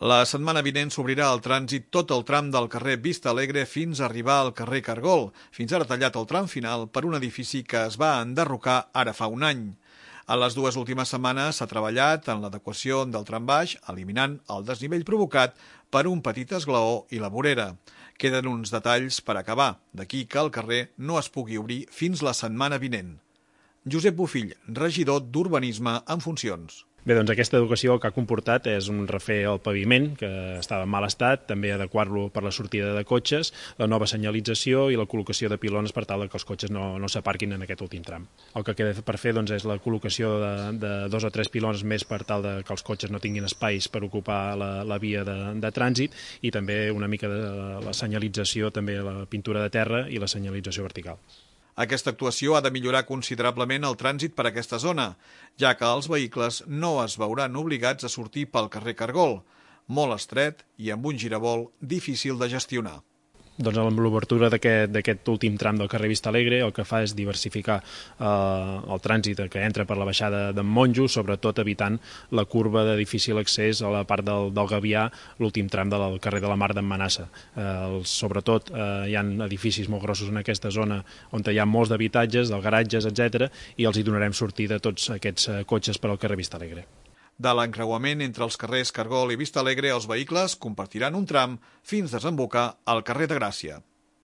La setmana vinent s'obrirà al trànsit tot el tram del carrer Vista Alegre fins a arribar al carrer Cargol, fins ara tallat el tram final per un edifici que es va enderrocar ara fa un any. A les dues últimes setmanes s'ha treballat en l'adequació del tram baix, eliminant el desnivell provocat per un petit esglaó i la vorera. Queden uns detalls per acabar, d'aquí que el carrer no es pugui obrir fins la setmana vinent. Josep Bofill, regidor d'Urbanisme en funcions. Bé, doncs aquesta educació el que ha comportat és un refer al paviment, que estava en mal estat, també adequar-lo per la sortida de cotxes, la nova senyalització i la col·locació de pilons per tal que els cotxes no s'aparquin en aquest últim tram. El que queda per fer doncs, és la col·locació de 2 o 3 pilons més per tal que els cotxes no tinguin espais per ocupar la via de trànsit i també una mica de la senyalització, també la pintura de terra i la senyalització vertical. Aquesta actuació ha de millorar considerablement el trànsit per aquesta zona, ja que els vehicles no es veuran obligats a sortir pel carrer Cargol, molt estret i amb un giravolt difícil de gestionar. Doncs amb l'obertura d'aquest últim tram del carrer Vista Alegre el que fa és diversificar el trànsit que entra per la baixada d'en Monjo, sobretot evitant la curva de difícil accés a la part del Gavià, l'últim tram del carrer de la Mar d'en Manassa. Sobretot hi ha edificis molt grossos en aquesta zona on hi ha molts d'habitatges, dels garatges, etc. i els hi donarem sortida a tots aquests cotxes per al carrer Vista Alegre. De l'encreuament entre els carrers Cargol i Vista Alegre, els vehicles compartiran un tram fins a desembocar al carrer de Gràcia.